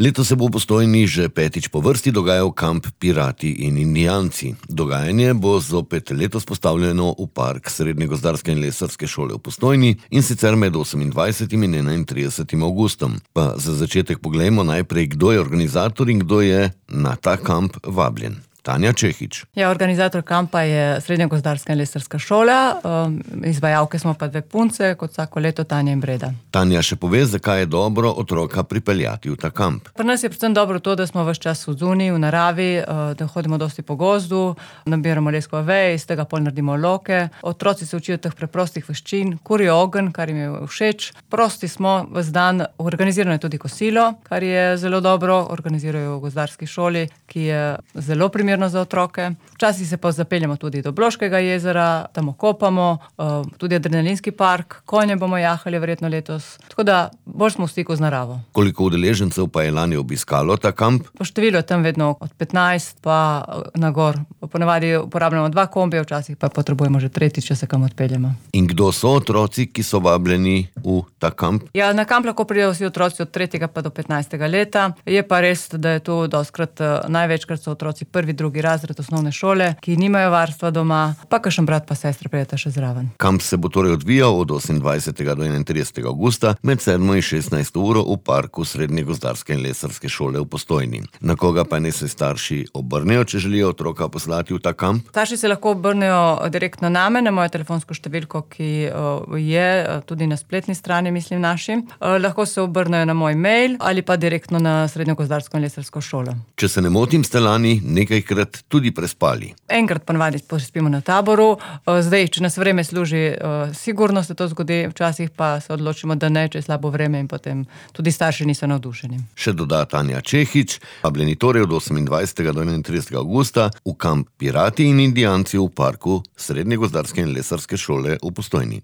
Letos se bo v Postojni že petič po vrsti dogajal kamp Pirati in Indijanci. Dogajanje bo zopet letos postavljeno v park Srednje gozdarske in lesarske šole v Postojni, in sicer med 28. in 31. avgustom. Pa za začetek poglejmo najprej, kdo je organizator in kdo je na ta kamp vabljen. Tanja Čehič. Organizator kampa je Srednja gozdarska in lesarska šola, izvajalke smo pa dve punce, kot vsako leto Tanja in Breda. Tanja še pove, zakaj je dobro otroka pripeljati v ta kamp. Pri nas je predvsem dobro to, da smo ves čas v zuniji, v naravi, da hodimo dosti po gozdu, nabiramo leskove veje, iz tega pol naredimo loke. Otroci se učijo teh preprostih veščin, kurijo ogenj, kar jim je všeč. Prosti smo ves dan, organizirano je tudi kosilo, kar je zelo dobro, organizirajo v gozdarski šoli, ki je zelo primerna za otroke. Včasih se pa zapeljemo tudi do Bloškega jezera, tam okopamo, tudi adrenalinski park, konje bomo jahali verjetno letos. Tako da bolj smo v stiku z naravo. Koliko udeležencev pa je lani obiskalo ta kamp? Po številu je tam vedno od 15 pa na gor. Ponavadi uporabljamo 2 kombija, včasih pa potrebujemo že tretjič, če se kam odpeljemo. In kdo so otroci, ki so vabljeni v ta kamp? Ja, na kamp lahko pridejo vsi otroci od 3. pa do 15. leta. Je pa res, da je tu dostkrat, največkrat so otroci prvi, drugi razred osnovne šole, ki nimajo varstva doma, pa kakšen brat pa sestra prideta še zraven. Kamp se bo torej odvijal od 28. do 31. avgusta med 7. in 16. uro v parku Srednje gozdarske in lesarske šole v Postojni. Na koga pa naj se starši obrnejo, če želijo otroka poslati v ta kamp? Starši se lahko obrnejo direktno name, na mojo telefonsko številko, ki je tudi na spletni strani, mislim, naši. Lahko se obrnejo na moj mail ali pa direktno na Srednjo gozdarsko in lesarsko šolo. Če se ne motim, ste lani nekajkrat tudi prespali. Enkrat ponavadi spimo na taboru. Zdaj, če nas vreme služi, sigurno se to zgodi, včasih pa se odločimo, da ne, če je slabo vreme, in potem tudi starši niso navdušeni. Še doda Tanja Čehič, vabljeni torej od 28. do 31. avgusta v kamp Pirati in Indijanci v parku Srednje gozdarske in lesarske šole v Postojni.